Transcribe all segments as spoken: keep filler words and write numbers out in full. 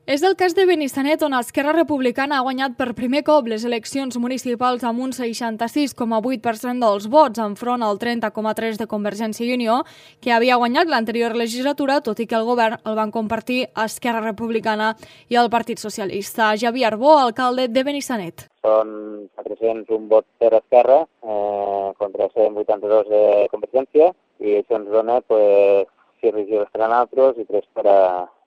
És el cas de Benissanet, on Esquerra Republicana ha guanyat per primer cop les eleccions municipals amb un seixanta-sis coma vuit per cent dels vots, enfront al trenta coma tres de Convergència i Unió, que havia guanyat l'anterior legislatura, tot i que el govern el van compartir Esquerra Republicana i el Partit Socialista. Javier Arbó, alcalde de Benissanet. Són quatre-cents un vots per Esquerra eh, contra cent vuitanta-dos de Convergència, i això ens dona pues, sis regidors per a nosaltres i tres per a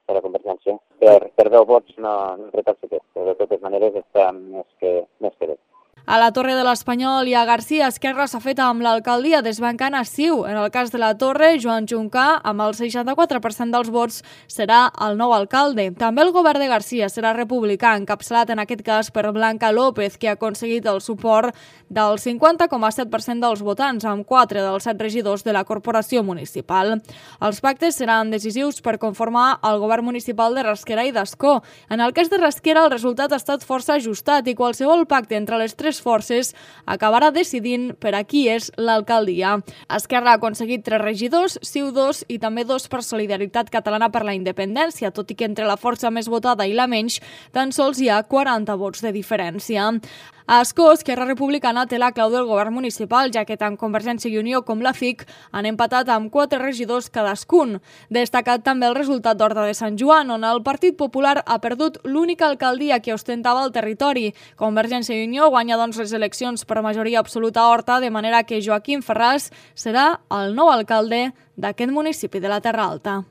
per a Convergència. Per, per deu vots no, no retalça aquest, però de totes maneres està més que, més que bé. A la Torre de l'Espanyol i a Garcia, Esquerra s'ha fet amb l'alcaldia, desbancant a Ciu. En el cas de la Torre, Joan Juncà, amb el seixanta-quatre per cent dels vots, serà el nou alcalde. També el govern de Garcia serà republicà, encapçalat en aquest cas per Blanca López, que ha aconseguit el suport del cinquanta coma set per cent dels votants, amb quatre dels set regidors de la corporació municipal. Els pactes seran decisius per conformar el govern municipal de Rasquera i d'Ascó. En el cas de Rasquera, el resultat ha estat força ajustat i qualsevol pacte entre les tres forces acabarà decidint per a qui és l'alcaldia. Esquerra ha aconseguit tres regidors, Ciu dos i també dos per Solidaritat Catalana per la Independència, tot i que entre la força més votada i la menys tan sols hi ha quaranta vots de diferència. A Ascó, Esquerra Republicana té la clau del govern municipal, ja que tant Convergència i Unió com la F I C han empatat amb quatre regidors cadascun. Destacat també el resultat d'Horta de Sant Joan, on el Partit Popular ha perdut l'única alcaldia que ostentava el territori. Convergència i Unió guanya doncs les eleccions per majoria absoluta a Horta, de manera que Joaquim Ferràs serà el nou alcalde d'aquest municipi de la Terra Alta.